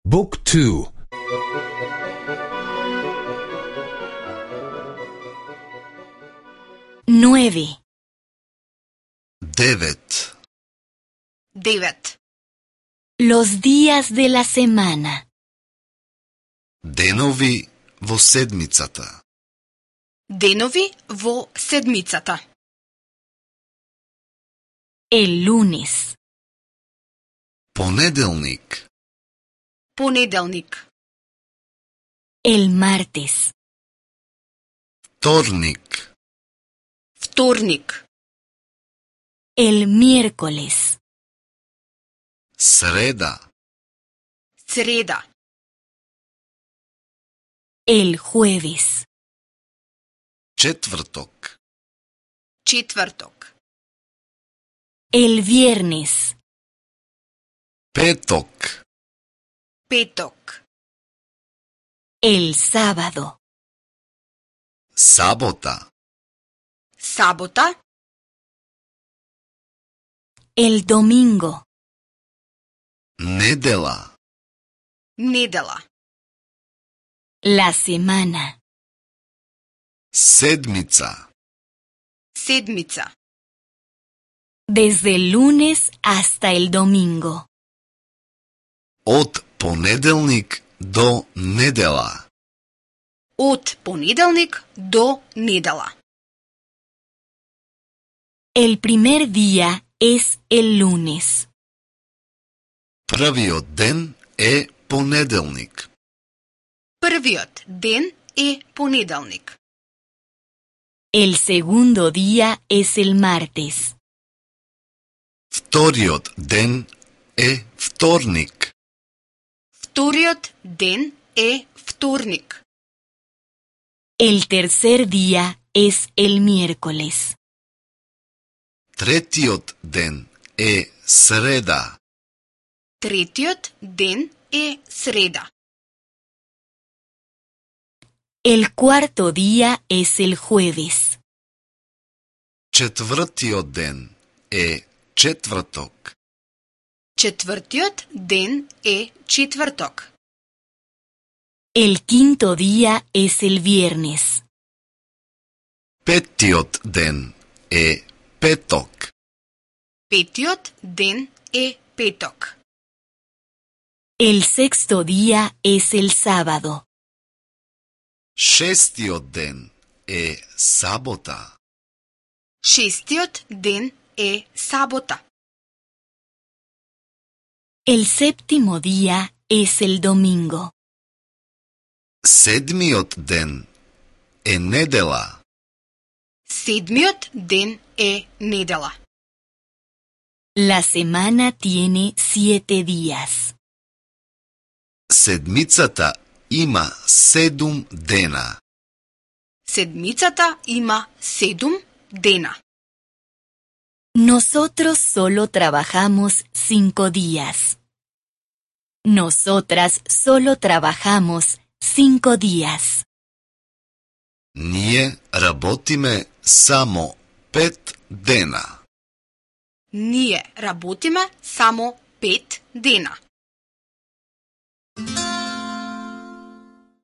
Book 2. Nueve. 9. 9. Los días de la semana. Денови во седмицата. Денови во седмицата. El lunes. Понеделник. Понеделник. El martes. Вторник. Вторник. El miércoles. Среда. Среда. El jueves. Четврток. Четврток. El viernes. Петок. Петок. El sábado. Сабота. Сабота. El domingo. Недела. Недела. La semana. Седмица. Седмица. Desde el lunes hasta el domingo. Од понеделник до недела. Од понеделник до недела. El primer día es el lunes. Првиот ден е понеделник. Првиот ден е понеделник. El segundo día es el martes. Вториот ден е вторник. Вториот ден е вторник. El tercer día es el miércoles. Третиот ден е среда. Третиот ден е среда. El cuarto día es el jueves. Четвртиот ден е четврток. Четвртиот ден е четврток. El quinto día es el viernes. Петтиот ден е петок. Петиот ден е петок. El sexto día es el sábado. Шестиот ден е сабота. Шестиот ден е сабота. El séptimo día es el domingo. Седмиот ден е недела. Седмиот ден е недела. La semana tiene 7 días. Седмицата има 7 дена. Седмицата има 7 дена. Nosotros solo trabajamos 5 días. Nosotras solo trabajamos 5 días. Ние работиме само 5 дена. Ние работиме само 5 дена.